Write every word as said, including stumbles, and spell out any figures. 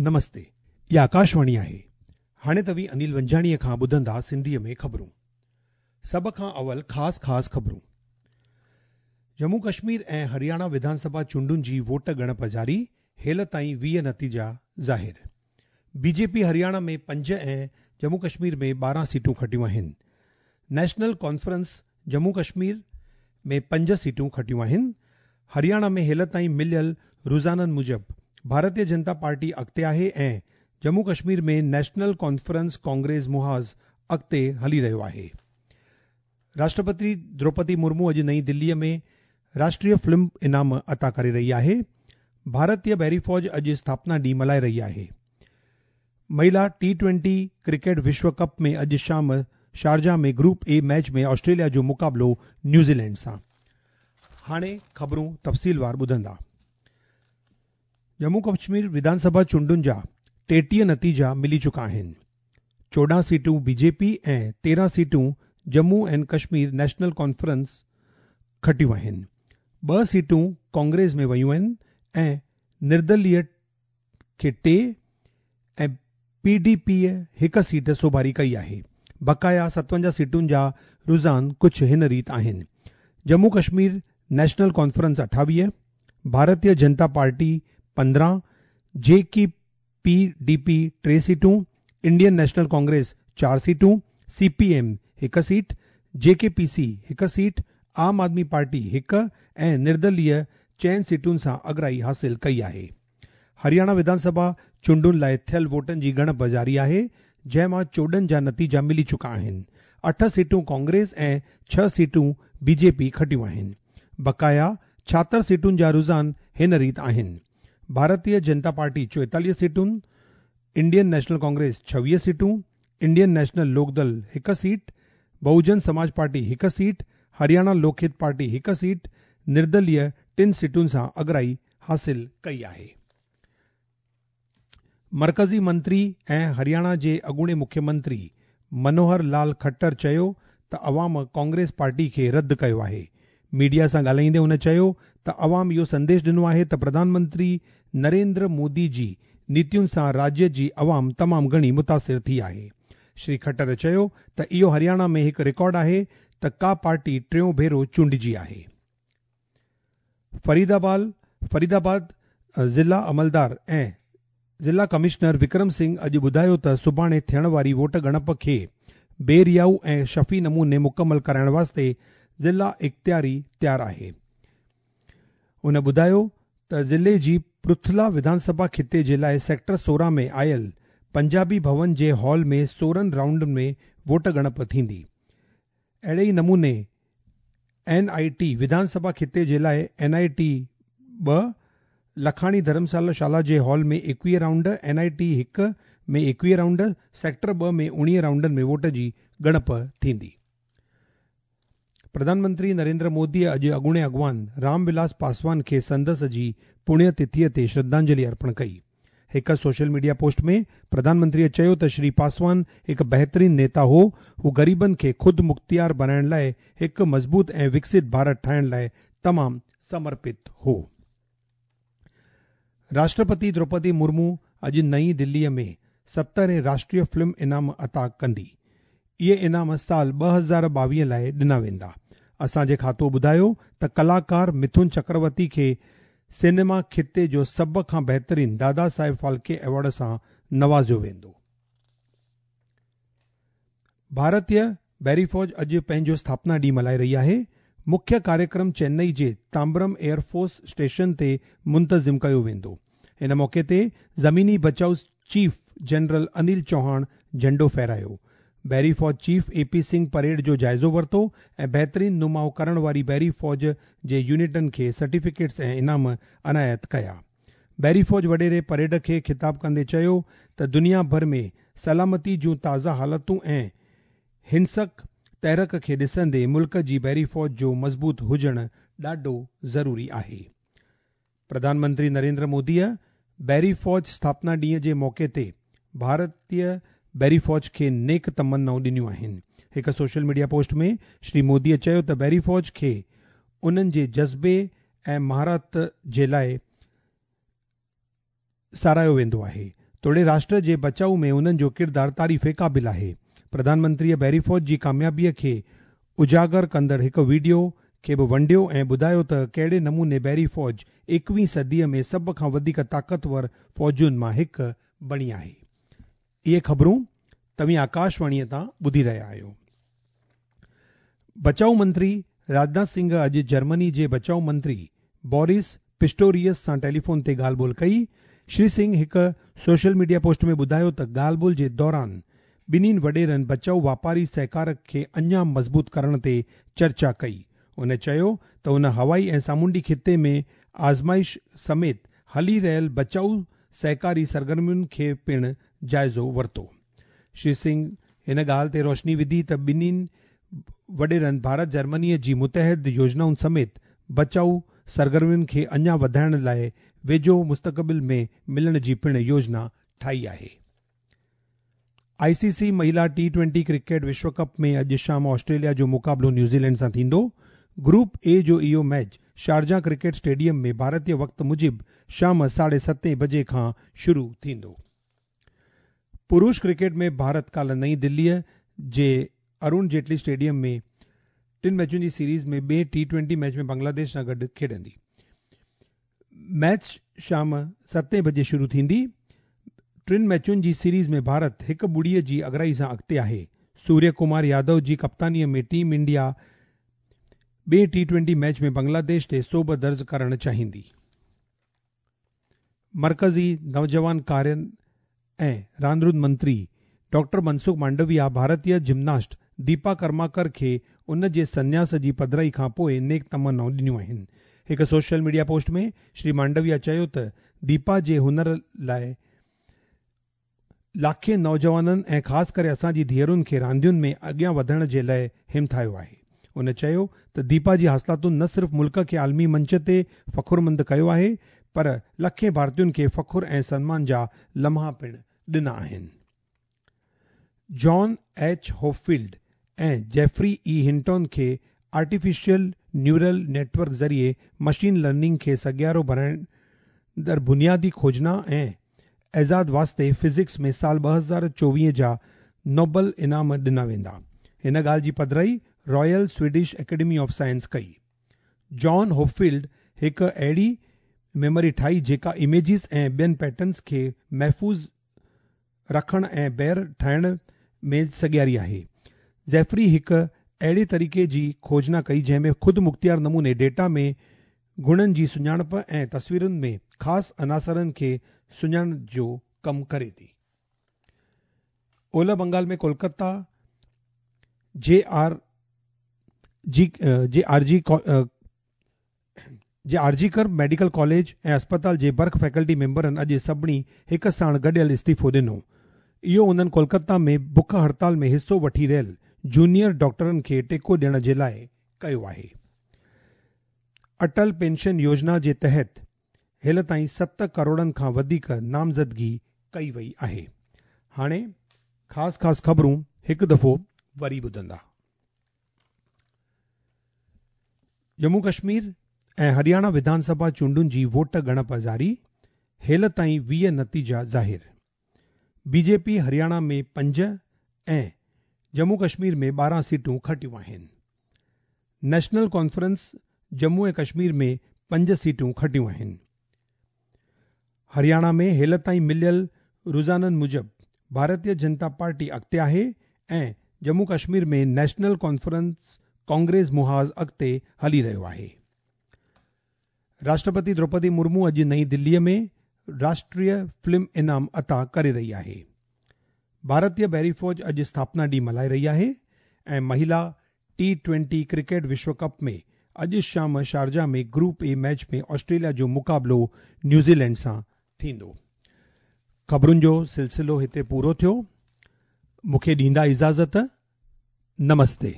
نمستي، اها آڪاشواڻي آهي. هاڻي توهين انيل ونجاڻيء کان ٻڌندا سنڌيء ۾ خبرون. سڀ کان اول خاص خاص خبرون. ڄمون ڪشمير ۽ هرياڻا وڌان سڀا چونڊن جي ووٽ ڳڻپ جاري، هيل تائين ويهه نتيجا ظاهر. بي جي پي هرياڻا ۾ پنج ۽ ڄمون ڪشمير ۾ ٻارهن سيٽون کٽيون آهن. نيشنل ڪانفرنس ڄمون ڪشمير ۾ پنج سيٽون کٽيون آهن. هرياڻا ۾ هيل تائين مليل رجحانن موجب ڀارتيه جنتا پارٽي اڳتي آهي ۽ ڄمون ڪشمير ۾ نيشنل ڪانفرنس ڪانگريس محاذ اڳتي هلي رهيو آهي. راشٽرپتي دروپدي مرمو اڄ نئين دليء ۾ راشٽريه فلم انعام عطا ڪري رهي آهي. ڀارتيه بحري فوج اڄ اسٿاپنا ڏينهن ملهائي رهي آهي. مهلا ٽي ٽوئنٽي ڪرڪيٽ وشو ڪپ ۾ اڄ شام Sharjah ۾ group A match ۾ Australia جو مقابلو نيوزيلينڊ سان. هاڻي خبرون تفصيلوار ٻڌندا. ڄمون ڪشمير وڌان سڀا چونڊن جا ٽيٽيهه نتيجا ملي چڪا آهن. چوڏهن سيٽون بي جي پي ۽ تيرهن سيٽون Jammu and Kashmir national conference کٽيون آهن. ٻه سيٽون ڪانگريس ۾ ويون آهن ۽ نردليه کي ٽي ۽ پي ڊي پيء هڪ سيٽ سوڀاري ڪئي آهي. بقايا ستونجاهه سيٽن جا رجحان ڪجهه هن ريت آهن. ڄمون ڪشمير نيشنل ڪانفرنس اٺاويهه، ڀارتيه جنتا پارٽي پندرهن، جي ڪي پي ڊي پي ٽي سيٽون، انڊين نيشنل ڪانگريس چار سيٽون، سي پي ايم هڪ سيٽ، جي ڪي پي سي هڪ سيٽ، عام آدمي پارٽي هڪ ۽ نردليه چئن سيٽن سان اڳرائي حاصل ڪئي آهي. هرياڻا وڌان سڀا چونڊن لاءِ ٿيل ووٽن جي ڳڻپ جاري آهي، جنهن مان چوڏهن جا نتيجا ملي چڪا آهن. اٺ سيٽون ڪانگريس ۽ ڇهه سيٽون بي جي پي کٽيون آهن. بقايا ڇاهتر سيٽن جا رجحان هن ريت آهن. ڀارتيه جنتا پارٽي چوئيتاليهه سيٽون، انڊين نيشنل ڪانگريس ڇويهه سيٽون، انڊين نيشنل لوڪدل هڪ سيٽ، بهوجن سماج پارٽي هڪ سيٽ، هرياڻا لوڪ هت پارٽي هڪ سيٽ، نردليه ٽن سيٽن سان اڳرائي حاصل ڪئي آهي. مرڪزي منتري ۽ هرياڻا جي اڳوڻي مکيه منتري منوهر لال کٽر چيو ته عوام ڪانگريس پارٽي کي رد ڪيو آهي. ميڊيا سان ڳالهائيندي هن چيو ته عوام اهو سنديش ڏنو آهي ته پرڌان منتري نريندر مودي جي نيتين سان راجيه جي عوام تمام گهڻي متاثر ٿي آهي. شري کٽر چيو ته اهو هرياڻا ۾ هڪ رڪارڊ آهي ته ڪا پارٽي ٽيون ڀيرو چونڊجي آهي. فريدآباد فريدآباد ضلع عملدار ۽ ضلع ڪمشنر وڪرم سنگهه اڄ ٻڌايو ته سڀاڻي ٿيڻ واري ووٽ ڳڻپ کي بي ريائو ۽ شفي نموني مڪمل ڪرائڻ واسطي ضلع اختياري تيار آهي. هن ٻڌايو ته ضلعي جي پرٿلا وڌان سڀا خطي جي لاءِ سيڪٽر سورهن ۾ آيل پنجابي ڀون جي هال ۾ سورهن رائونڊن ۾ ووٽ ڳڻپ ٿيندي. اهڙي ئي نموني اين I ٽي وڌان سڀا خطي جي لاءِ اين I ٽي ٻه، لکاڻي ڌرمشالا شالا جي هال ۾ ايڪويهه رائونڊ، اين I ٽي هڪ ۾ ايڪويهه رائونڊ، سيڪٽر ٻه ۾ اڻويهه رائونڊن ۾ ووٽ جي ڳڻپ ٿيندي. پرڌان منتري نريندر موديءَ اڄ اڳوڻي اڳواڻ رام ولاس پاسوان کي سندس جي پڻيه تٿيءَ تي شرڌانجلي ارپڻ ڪئي. هڪ سوشل ميڊيا پوسٽ ۾ پرڌان منتريءَ چيو ته شري پاسوان هڪ بهترين نيتا هو. هو غريبن کي خود مختيار بڻائڻ لاءِ هڪ مضبوط ۽ وڪست ڀارت ٺاهڻ لاءِ تمام سمرپت هو. راشٽرپتي دروپدي مرمو اڄ نئين دليءَ ۾ سترهين راشٽريه فلم انعام عطا ڪندي. اهي انعام سال ٻه هزار ٻاويهه لاءِ ڏنا ويندا. اسان جي کاتو ٻڌايو ته ڪلاڪار مٿن چڪرورتي کي سئنيما خطي جو سڀ کان بهترين دادا صاحب ڦالڪي ايوارڊ سان نوازيو ويندو. ڀارتيه بحري فوج اڄ پنهنجو اسٿاپنا ڏينهن ملهائي رهي آهي. مکيه ڪاريڪرم چنئي جي تامبرم ايئر فورس اسٽيشن تي منتظم ڪيو ويندو. ان موقعي تي زميني بچاءُ چيف جنرل انيل چوهاڻ جهنڊو ڦهرايو. بحري فوج چيف اي پي سنگهه پريڊ جو جائزو ورتو ۽ بهترين نماءُ ڪرڻ واري بحري فوج جي يونٽن کي سرٽيفڪيٽس ۽ انعام عنايت ڪيا. بحري فوج وڏيري پريڊ کي خطاب ڪندي چيو ته دنيا ڀر ۾ سلامتي جون تازا حالتون ۽ هنسڪ تحرڪ کي ڏسندي ملڪ جي بحري فوج جو مضبوط هجڻ ڏاڍو ضروري آهي. پرڌان منتري نريندر موديءَ بحري فوج اسٿاپنا ڏينهن جي موقعي تي ڀارتيه بحري فوج کي نيڪ تمنائون ڏنيون آهن. هڪ سوشل ميڊيا پوسٽ ۾ شري موديءَ چيو ته بحري فوج کي انهن جي جذبي ۽ مهارت جي لاءِ ساراهيو ويندو آهي. توڙي راشٽر جي بچاءُ ۾ انهن جو ڪردار تعريف قابل آهي. پرڌان منتريءَ بحري فوج جي ڪاميابيءَ کي اجاگر ڪندڙ هڪ وڊيو کي به ونڊيو ۽ ٻڌايو ته ڪهڙي نموني بحري فوج ايڪويهين صديءَ ۾ سڀ کان وڌيڪ طاقتور فوجن مان هڪ بڻي آهي. اهي خبرون توهين آڪاشواڻيءَ تان ٻڌي رهيا آهيو. بچاءُ منتري راجناٿ سنگهه اڄ جرمني جي بچاءُ منتري بورس پسٽوريس سان ٽيليفون تي ڳالهه ٻولهه ڪئي. شري سنگهه هڪ سوشل ميڊيا پوسٽ ۾ ٻڌايو ته ڳالهه ٻولهه جي دوران ٻنهي وڏيرن بچاءُ واپاري سهڪار کي اڃا مضبوط ڪرڻ تي چرچا ڪئي. هن چيو ته هن هوائي ۽ سامونڊي خطي ۾ آزمائش سميت هلي رهيل بچاءُ سهڪاري سرگرمين کي پڻ جائزو ورتو. شري سنگهه هن ڳالهه تي روشني وڌي ته ٻنهي وڏيرن ڀارت جرمنيءَ جي متحد يوجنائن سميت بچاءُ سرگرمين کي اڃا وڌائڻ لاءِ ويجهو مستقبل ۾ ملڻ جي پڻ يوجنا ٺاهي آهي. آئي سي سي مهلا ٽي ٽوئنٽي ڪرڪيٽ وشو ڪپ ۾ اڄ شام آسٽريليا جو مقابلو نيوزيلينڊ سان ٿيندو. گروپ اي جو اهو ميچ شارجا ڪرڪيٽ اسٽيڊيم ۾ ڀارتيه وقت موجب شام ساڍي ستين بجي کان شروع ٿيندو. پرش ڪرڪيٽ ۾ ڀارت ڪالهه نئين دليءَ جي ارون جيٽلي اسٽيڊيم ۾ ٽن ميچن جي سيريز ۾ ٻئي ٽي ٽوئنٽي ميچ ۾ بنگلاديش سان گڏ کيڏندي. ميچ شام ستين بجي شروع ٿيندي. ٽن ميچن جي سيريز ۾ ڀارت هڪ ٻڙيءَ جي اڳرائي سان اڳتي آهي. سوريه ڪمار يادو جي ڪپتانيءَ ۾ ٽيم انڊيا ٻئي ٽي ٽوئنٽي ميچ ۾ بنگلاديش تي سوڀ درج ڪرڻ چاهيندي. مرڪزي نوجوان ڪارين ۽ راندين منتري ڊاڪٽر منسک مانڊويا ڀارتيه جمناسٽ ديپا ڪرماڪر کي ان جي سنياس جي پڌرائي کان پوءِ نيڪ تمنائون ڏنيون آهن. هڪ سوشل ميڊيا پوسٽ ۾ شري مانڊويا چيو ته ديپا جي هنر لاءِ لاکين نوجوانن ۽ خاص ڪري اسان جي ڌيئرن کي راندين ۾ اڳيان وڌڻ جي لاءِ همٿايو آهي. هن چيو ته ديپا جي حاصلاتن نه صرف ملڪ کي عالمي منچ تي فخرمند ڪيو آهي پر لکين ڀارتين کي فخر ۽ سنمان جا لمحا پڻ ڏنا آهن. جان ايڇ هوپفيلڊ ۽ جيفري اي هنٽون کي آرٽيفيشل نيورل نيٽ ورڪ ذريعي مشين لرننگ کي سگهارو بڻائيندڙ بنيادي کوجنا ۽ ايجاد واسطي فزڪس ۾ سال ٻه هزار چوويهه جا نوبل انعام ڏنا ويندا. هن ڳالهه جي پڌرائي Royal Swedish Academy of Science ڪئي. جان هوپفيلڊ هڪ اهڙي ميموري ٺاهي جيڪا اميجز ۽ ٻين پيٽرنز کي محفوظ رکڻ ۽ ٻيهر ٺاهڻ ۾ سگهاري آهي. جيفري هڪ اهڙي طريقي جي کوجنا ڪئي جنهن ۾ خود مختيار نموني ڊيٽا ۾ گڻن جي سڃاڻپ ۽ تصويرن ۾ خاص عناصرن کي سڃاڻڻ جو ڪم ڪري ٿي. اولهه بنگال ۾ ڪولڪتا جي آر جي جي آر جي جي آر جي ڪر ميڊيڪل ڪاليج ۽ اسپتال جي برک فيڪلٽي ميمبرن اڄ سڀني هڪ ساڻ گڏيل استعيفو ڏنو. اهو انهن ڪولڪتا ۾ بک هڙتال ۾ حصو وٺي رهيل جونيئر ڊاڪٽرن کي ٽيڪو ڏيڻ جي لاءِ ڪيو آهي. اٽل پينشن يوجنا جي تحت هيل تائين ست ڪروڙن کان وڌيڪ نامزدگي ڪئي وئي آهي. هاڻي خاص خاص خبرون هڪ دفعو وري ٻڌندا. ڄمون ڪشمير ۽ هرياڻا وڌان سڀا چونڊن جي ووٽ ڳڻپ جاري، هيل تائين ويهه نتيجا ظاهر. بي جي پي هرياڻا ۾ پنج ۽ ڄمون ڪشمير ۾ ٻارهن سيٽون کٽيون آهن. نيشنل ڪانفرنس ڄمون ۽ ڪشمير ۾ پنج سيٽون کٽيون آهن. هرياڻا ۾ هيل تائين مليل رجحانن موجب ڀارتيه جنتا پارٽي اڳتي آهي ۽ ڄمون ڪشمير ۾ نيشنل ڪانفرنس ڪانگريس محاذ اڳتي هلي رهيو آهي. راشٽرپتي دروپدي مرمو اڄ نئين دليءَ ۾ راشٽريه فلم انعام عطا ڪري رهي آهي. ڀارتيه بحري فوج اڄ اسٿاپنا ڏينهن ملهائي رهي آهي ۽ مهلا ٽي ٽوئنٽي ڪرڪيٽ وشو ڪپ ۾ اڄ شام Sharjah ۾ group A match ۾ Australia جو مقابلو نيوزيلينڊ سان ٿيندو. خبرن جو سلسلو هتي پورو ٿيو. مون کي ڏيندا اجازت. نمستي.